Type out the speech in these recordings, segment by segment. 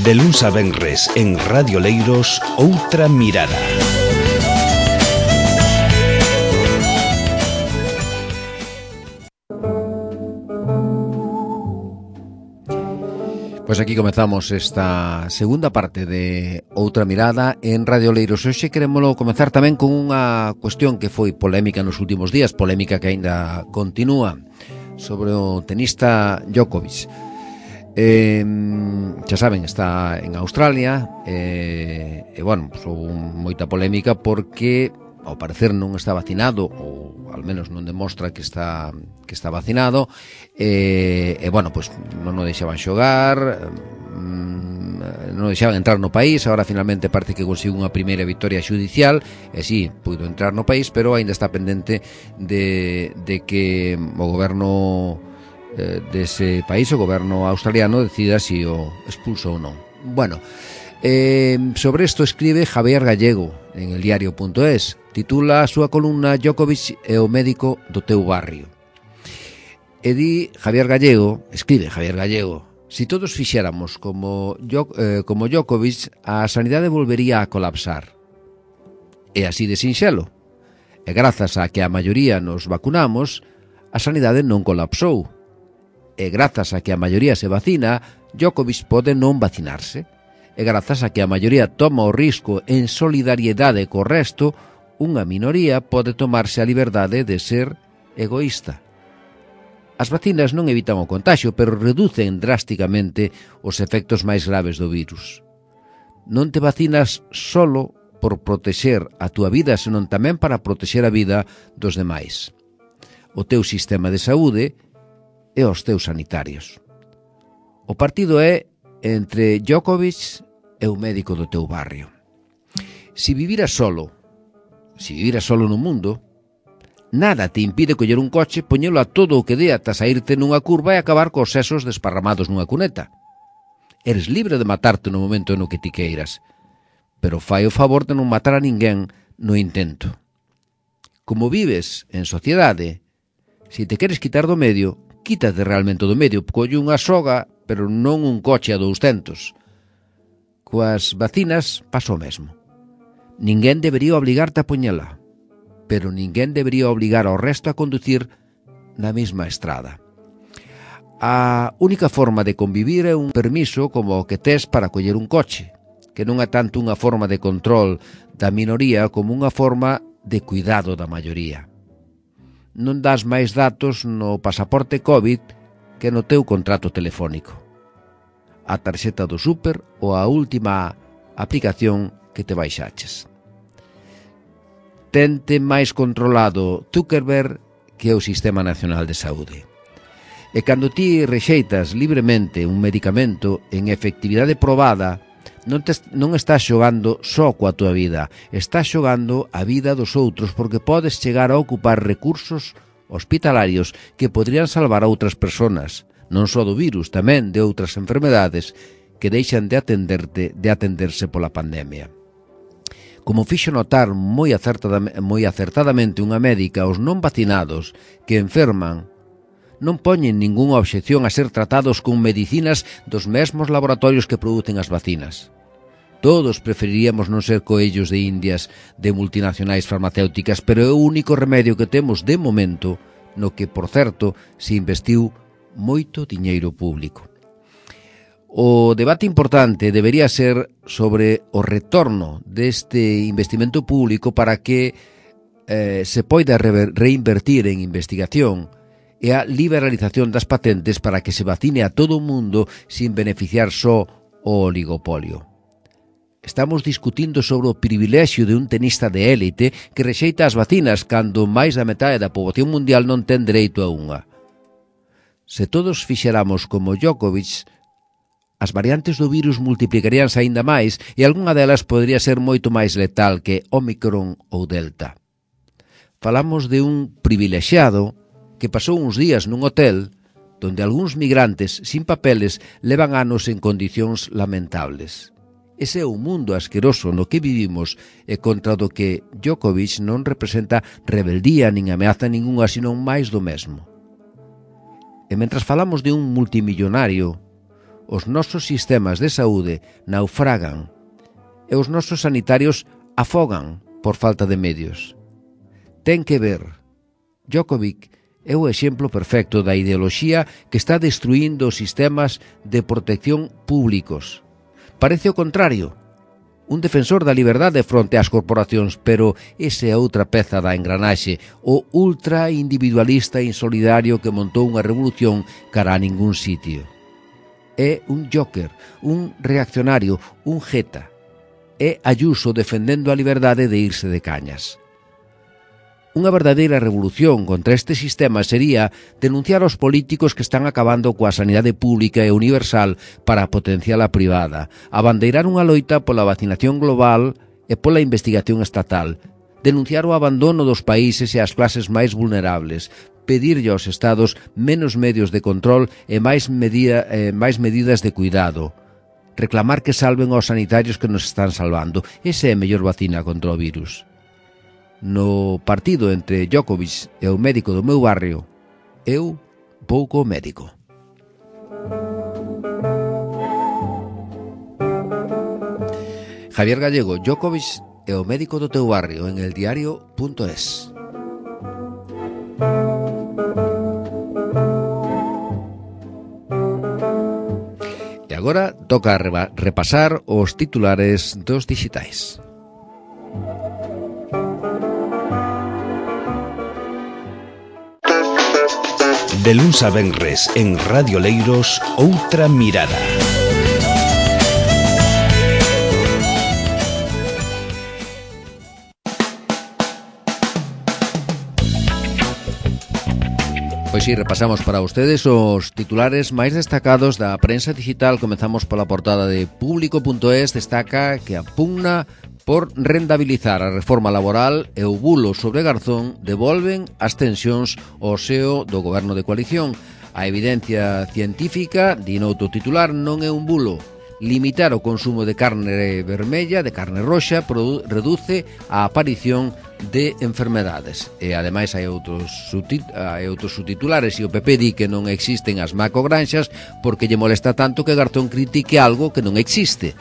De luns a venres en Radio Leiros, Outra Mirada. Pois aquí comezamos esta segunda parte de Outra Mirada en Radio Leiros. Hoxe queremos comezar tamén con unha cuestión que foi polémica nos últimos días, polémica que aínda continúa, sobre o tenista Djokovic. Xa saben, está en Australia e bueno, pues, houve moita polémica porque ao parecer non está vacinado, ou al menos non demostra que está vacinado, e bueno, pues non o deixaban xogar, non o deixaban entrar no país. Agora finalmente parece que conseguiu unha primeira victoria xudicial e sí, puido entrar no país, pero aínda está pendente de que o goberno dese país, o goberno australiano, decida se o expulsa ou non. Bueno, sobre isto escribe Javier Gallego en el diario.es. Titula a súa columna Djokovic e o médico do teu barrio. E di Javier Gallego, escribe Javier Gallego: si todos fixéramos como Djokovic, a sanidade volvería a colapsar. E así de sinxelo. E grazas a que a maioría nos vacunamos, a sanidade non colapsou. E grazas a que a maioría se vacina, Djokovic pode non vacinarse. E grazas a que a maioría toma o risco en solidariedade co resto, unha minoría pode tomarse a liberdade de ser egoísta. As vacinas non evitan o contaxio, pero reducen drásticamente os efectos máis graves do virus. Non te vacinas solo por protexer a túa vida, senón tamén para protexer a vida dos demais, o teu sistema de saúde e os teus sanitarios. O partido é entre Djokovic e o médico do teu barrio. Se viviras solo no mundo, nada te impide coller un coche, poñelo a todo o que dé ata saírte nunha curva e acabar cos sesos desparramados nunha cuneta. Eres libre de matarte no momento no que ti queiras, pero fai o favor de non matar a ninguén no intento. Como vives en sociedade, se te queres quitar do medio, quítate realmente do medio, colle unha soga, pero non un coche a 200. Coas vacinas pasa o mesmo. Ninguén debería obligarte a poñela, pero ninguén debería obligar ao resto a conducir na mesma estrada. A única forma de convivir é un permiso como o que tes para coller un coche, que non é tanto unha forma de control da minoría como unha forma de cuidado da maioría. Non das máis datos no pasaporte COVID que no teu contrato telefónico, a tarxeta do súper ou a última aplicación que te baixaches. Tente máis controlado Zuckerberg que o Sistema Nacional de Saúde. E cando ti rexeitas libremente un medicamento en efectividade probada, non estás xogando só coa tua vida, estás xogando a vida dos outros, porque podes chegar a ocupar recursos hospitalarios que podrían salvar a outras personas, non só do virus, tamén de outras enfermedades que deixan de atenderse pola pandemia. Como fixo notar moi acertadamente unha médica, os non vacinados que enferman non poñen ningunha obxección a ser tratados con medicinas dos mesmos laboratorios que producen as vacinas. Todos preferiríamos non ser coellos de indias de multinacionais farmacéuticas, pero é o único remedio que temos de momento, no que, por certo, se investiu moito diñeiro público. O debate importante debería ser sobre o retorno deste investimento público para que se poida reinvertir en investigación e a liberalización das patentes para que se vacine a todo o mundo sin beneficiar só o oligopolio. Estamos discutindo sobre o privilexio de un tenista de élite que rexeita as vacinas cando máis da metade da poboación mundial non ten dereito a unha. Se todos fixéramos como Djokovic, as variantes do virus multiplicaríanse aínda máis e algunha delas podría ser moito máis letal que Omicron ou Delta. Falamos de un privilexiado que pasou uns días nun hotel donde algúns migrantes sin papeles levan anos en condicións lamentables. Ese é o mundo asqueroso no que vivimos e contra do que Djokovic non representa rebeldía nin ameaza ningunha, senón máis do mesmo. E mentras falamos de un multimillonario, os nosos sistemas de saúde naufragan e os nosos sanitarios afogan por falta de medios. Ten que ver. Djokovic é o exemplo perfecto da ideoloxía que está destruindo os sistemas de protección públicos. Parece o contrario, un defensor da liberdade fronte ás corporacións, pero esa é outra peza da engranaxe, o ultra individualista insolidario que montou unha revolución cara a ningún sitio. É un joker, un reaccionario, un jeta. É Ayuso defendendo a liberdade de irse de cañas. Unha verdadeira revolución contra este sistema sería denunciar aos políticos que están acabando coa sanidade pública e universal para potenciar a privada, abandeirar unha loita pola vacinación global e pola investigación estatal, denunciar o abandono dos países e as clases máis vulnerables, pedirlle aos estados menos medios de control e máis medidas de cuidado, reclamar que salven aos sanitarios que nos están salvando. Esa é a mellor vacina contra o virus. No partido entre Djokovic e o médico do meu barrio, eu vou co médico. Javier Gallego, Djokovic e o médico do teu barrio en eldiario.es. E agora toca repasar os titulares dos dixitais. De luns a venres en Radio Leiros, outra mirada. Pois si, repasamos para ustedes os titulares máis destacados da prensa digital. Comezamos pola portada de Público.es. Destaca que a pugna por rendabilizar a reforma laboral e o bulo sobre Garzón devolven as tensións ao seo do goberno de coalición. A evidencia científica, di noutro titular, non é un bulo. Limitar o consumo de carne vermella, de carne roxa, reduce a aparición de enfermedades. E ademais hai outros subtitulares, e o PP di que non existen as macogranxas porque lle molesta tanto que Garzón critique algo que non existe.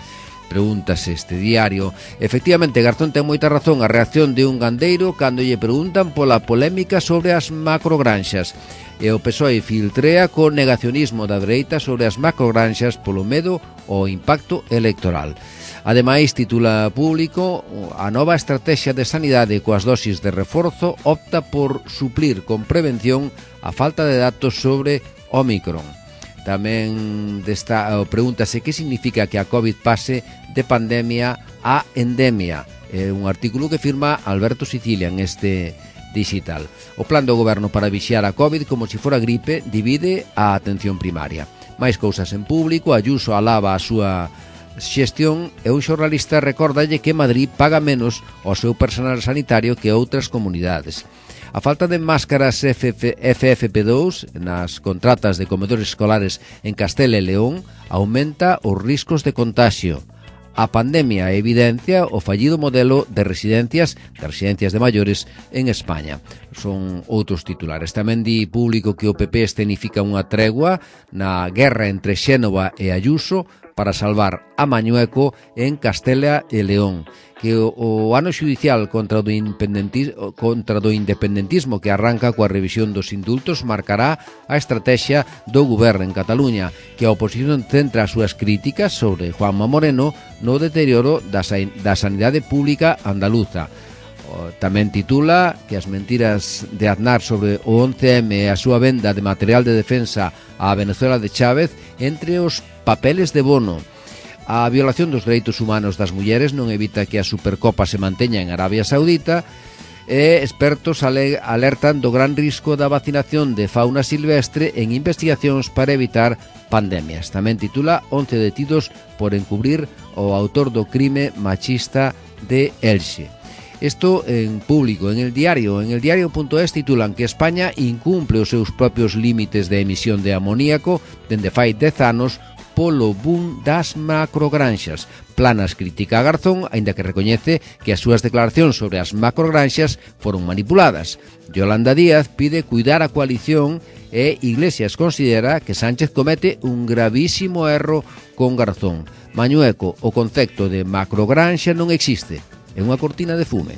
Pregúntase este diario. Efectivamente, Garzón ten moita razón a reacción de un gandeiro cando lle preguntan pola polémica sobre as macrogranxas. E o PSOE filtrea co negacionismo da dereita sobre as macrogranxas polo medo ao impacto electoral. Ademais, titula Público, a nova estrategia de sanidade coas dosis de reforzo opta por suplir con prevención a falta de datos sobre Ómicron. Tamén pregúntase que significa que a COVID pase de pandemia a endemia. É un artículo que firma Alberto Sicilia en este digital. O plan do goberno para vixiar a COVID como se fora gripe divide a atención primaria. Mais cousas en Público. Ayuso alaba a súa xestión e un xornalista recordalle que Madrid paga menos ao seu personal sanitario que outras comunidades. A falta de máscaras FFP2 nas contratas de comedores escolares en Castela e León aumenta os riscos de contagio. A pandemia evidencia o fallido modelo de residencias de maiores en España. Son outros titulares. Tamén di Público que o PP escenifica unha tregua na guerra entre Xénova e Ayuso para salvar a Mañueco en Castela e León, que o ano xudicial contra do independentismo que arranca coa revisión dos indultos marcará a estrategia do goberno en Cataluña, que a oposición centra as súas críticas sobre Juanma Moreno no deterioro da sanidade pública andaluza. Tamén titula que as mentiras de Aznar sobre o 11M e a súa venda de material de defensa á Venezuela de Chávez entre os papeles de Bono. A violación dos dereitos humanos das mulleres non evita que a Supercopa se manteña en Arabia Saudita e expertos alertan do gran risco da vacinación de fauna silvestre en investigacións para evitar pandemias. Tamén titula 11 detidos por encubrir o autor do crime machista de Elxe. Isto en Público. En el diario.es titulan que España incumple os seus propios límites de emisión de amoníaco dende fai 10 anos polo boom das macrogranxas. Planas critica a Garzón, aínda que recoñece que as súas declaracións sobre as macrogranxas foron manipuladas. Yolanda Díaz pide cuidar a coalición e Iglesias considera que Sánchez comete un gravísimo erro con Garzón. Mañueco, o concepto de macrogranxa non existe, é unha cortina de fume.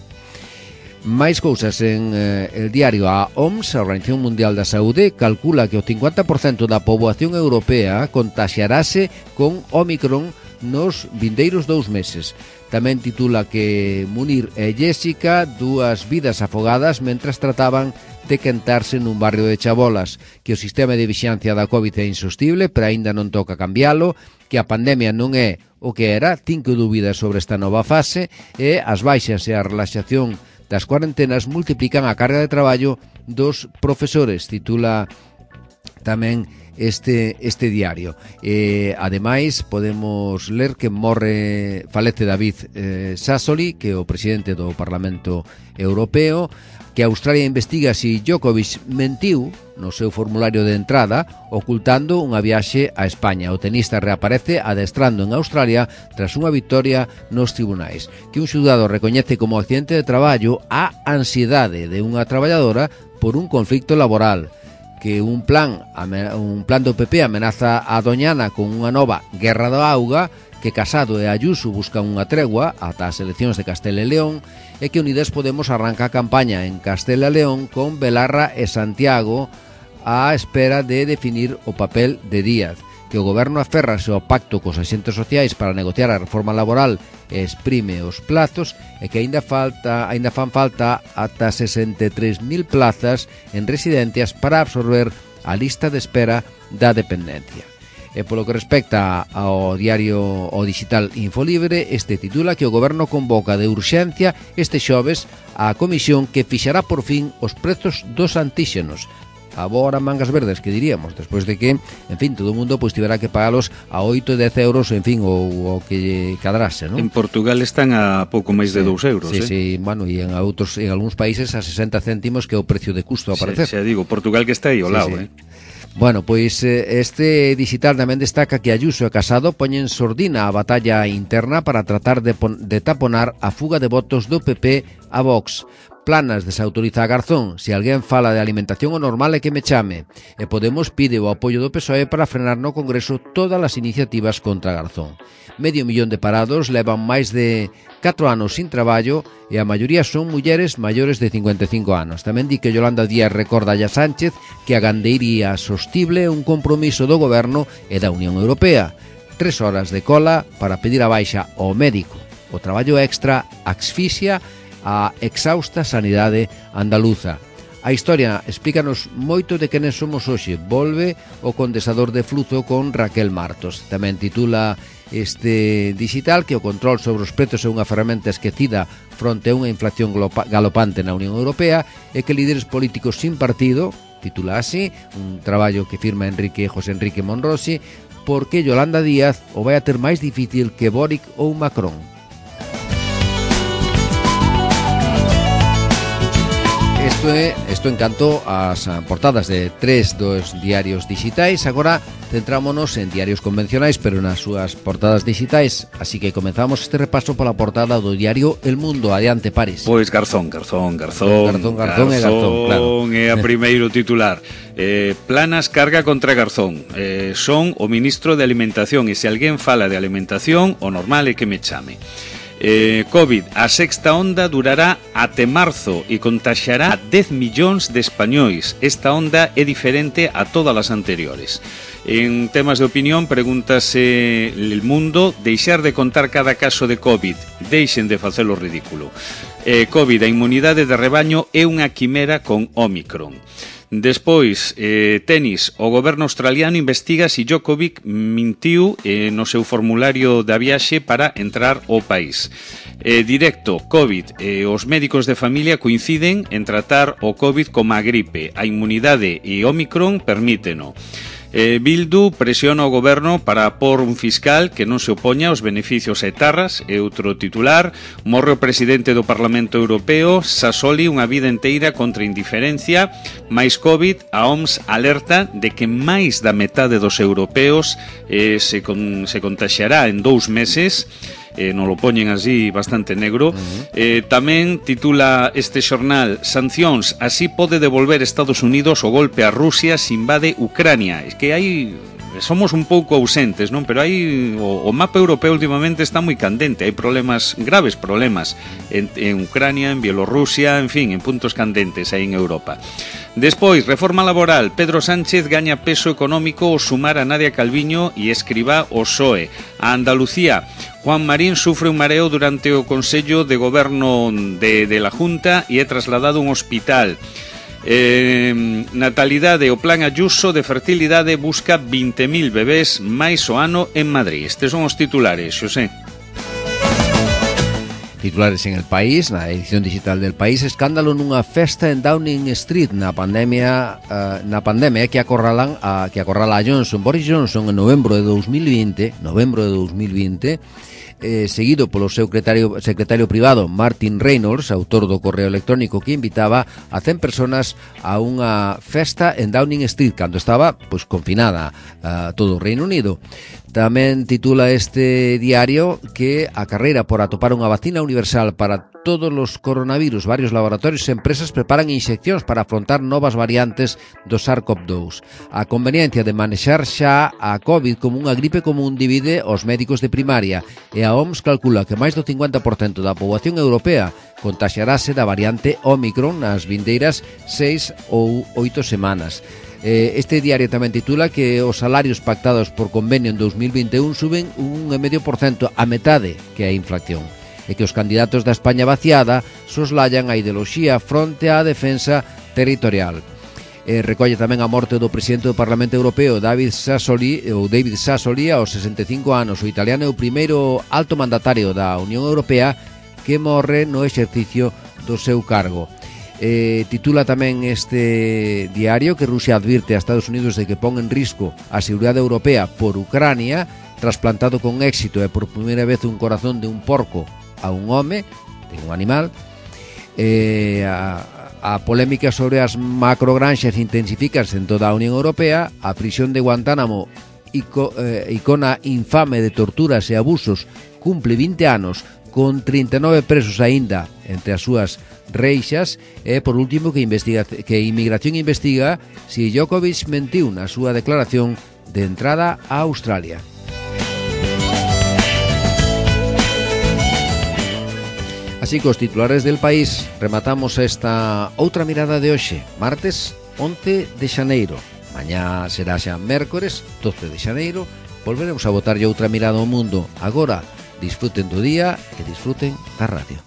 Máis cousas en el diario. A OMS, a Organización Mundial da Saúde, calcula que o 50% da poboación europea contaxiarase con Omicron nos vindeiros 2 meses. Tamén titula que Munir e Jéssica, dúas vidas afogadas mentras trataban de quentarse nun barrio de Chabolas, que o sistema de vixiancia da COVID é insostible, pero aínda non toca cambiálo, que a pandemia non é o que era, 5 dúbidas sobre esta nova fase, e as baixas e a relaxación das cuarentenas multiplican a carga de traballo dos profesores, titula tamén este diario. Ademais, podemos ler que falece David Sassoli, que é o presidente do Parlamento Europeo, que Australia investiga se Djokovic mentiu no seu formulario de entrada ocultando unha viaxe a España. O tenista reaparece adestrando en Australia tras unha victoria nos tribunais. Que un xulgado recoñece como accidente de traballo a ansiedade de unha traballadora por un conflicto laboral. Que un plan do PP amenaza a Doñana con unha nova guerra da auga, que Casado e Ayuso buscan unha tregua ata as eleccións de Castela e León, e que Unidas Podemos arranca a campaña en Castela e León con Belarra e Santiago á espera de definir o papel de Díaz. Que o goberno aférrase ao pacto cos axentes sociais para negociar a reforma laboral e exprime os plazos, e que aínda fan falta ata 63.000 plazas en residencias para absorber a lista de espera da dependencia. E polo que respecta ao diario o digital Infolibre, este titula que o goberno convoca de urxencia este xoves a comisión que fixará por fin os prezos dos antíxenos. Agora mangas verdes, que diríamos, despois de que, en fin, todo o mundo pois tiverá que pagalos a 8 e 10 euros, en fin, ou que cadrase, non? En Portugal están a pouco máis de 2 euros, Sí, bueno, e en algúns países a 60 céntimos, que é o precio de custo a aparecer. Xa digo, Portugal que está aí ao lado, Bueno, pois este digital tamén destaca que Ayuso e Casado poñen sordina a batalla interna para tratar de taponar a fuga de votos do PP a Vox. Planas desautoriza a Garzón. Se alguén fala de alimentación o normal é que me chame. E Podemos pide o apoio do PSOE para frenar no Congreso todas as iniciativas contra Garzón. 500.000 de parados levan máis de 4 anos sin traballo e a maioría son mulleres maiores de 55 anos. Tamén di que Yolanda Díaz recorda a Sánchez que a gandeiría sostible é un compromiso do Goberno e da Unión Europea. 3 horas de cola para pedir a baixa ao médico. O traballo extra asfixia a exhausta sanidade andaluza. A historia explícanos moito de quenes somos hoxe. Volve o condensador de fluzo con Raquel Martos. Tamén titula este digital que o control sobre os prezos é unha ferramenta esquecida fronte a unha inflación galopante na Unión Europea, e que líderes políticos sin partido, titula así, un traballo que firma José Enrique Monrosi, porque Yolanda Díaz o vai a ter máis difícil que Boric ou Macron. Isto en canto ás portadas de 3 dos diarios digitais. Agora centrámonos en diarios convencionais, pero nas súas portadas digitais. Así que comenzamos este repaso pola portada do diario El Mundo. Adiante, Paris. Pois Garzón, claro. É a primeiro titular. Planas carga contra Garzón. Son o ministro de Alimentación, e se alguén fala de alimentación, o normal é que me chame. COVID, a sexta onda durará até marzo e contaxiará a 10 millóns de españois. Esta onda é diferente a todas as anteriores. En temas de opinión, pregúntase El Mundo: deixar de contar cada caso de COVID, deixen de facelo ridículo. COVID, a inmunidade de rebaño é unha quimera con Omicron. Despois, tenis, o goberno australiano investiga se Djokovic mentiu no seu formulario da viaxe para entrar ao país. Directo, COVID, os médicos de familia coinciden en tratar o COVID como a gripe. A inmunidade e Omicron permíteno. Bildu presiona o goberno para por un fiscal que non se opoña aos beneficios etarras. E outro titular: morre o presidente do Parlamento Europeo, Sassoli unha vida inteira contra indiferencia, máis COVID, a OMS alerta de que máis da metade dos europeos se contaxiará en 2 meses. Non lo poñen así bastante negro. Tamén titula este xornal: sancións, así pode devolver Estados Unidos o golpe a Rusia se invade Ucrania. Es que hai... somos un pouco ausentes, non? Pero hai o mapa europeo últimamente está moi candente, hai problemas, graves problemas en Ucrania, en Bielorrusia, en fin, en puntos candentes aí en Europa. Despois, reforma laboral. Pedro Sánchez gaña peso económico ao sumar a Nadia Calviño e Escrivá ao PSOE. A Andalucía, Juan Marín sufre un mareo durante o Consello de Goberno de la Junta e é trasladado a un hospital. Natalidade, o plan Ayuso de fertilidade busca 20.000 bebés máis o ano en Madrid. Estes son os titulares, Xosé. Titulares en El País, na edición digital del País: escándalo nunha festa en Downing Street na pandemia que acorrala a Johnson. Boris Johnson en novembro de 2020, seguido polo seu secretario privado Martin Reynolds, autor do correo electrónico que invitaba a 100 personas a unha festa en Downing Street cando estaba confinada todo o Reino Unido. Tamén titula este diario que a carreira por atopar unha vacina universal para todos os coronavirus. Varios laboratorios e empresas preparan inxeccións para afrontar novas variantes do SARS-CoV-2. A conveniencia de manexar xa a COVID como unha gripe común divide os médicos de primaria, e a OMS calcula que máis do 50% da poboación europea contaxiarase da variante Omicron nas vindeiras 6 ou 8 semanas. Este diario tamén titula que os salarios pactados por convenio en 2021 suben un 1,5%, a metade que a inflación, e que os candidatos da España vaciada soslayan a ideoloxía fronte á defensa territorial. Recolle tamén a morte do presidente do Parlamento Europeo, David Sassoli, aos 65 anos. O italiano é o primeiro alto mandatario da Unión Europea que morre no exercicio do seu cargo. Titula tamén este diario que Rusia advirte a Estados Unidos de que pon en risco a seguridade europea por Ucrania. Trasplantado con éxito e por primeira vez un corazón de un porco a un home, de un animal. A polémica sobre as macrogranxas intensifícase en toda a Unión Europea. A prisión de Guantánamo, icona infame de torturas e abusos, cumple 20 anos con 39 presos aínda entre as súas reixas. E por último que Inmigración investiga se Djokovic mentiu na súa declaración de entrada a Australia. Así que os titulares del País rematamos esta outra mirada de hoxe, martes 11 de xaneiro. Mañá será xa mércores 12 de xaneiro. Volveremos a botarlle outra mirada ao mundo. Agora, disfruten do día e disfruten da radio.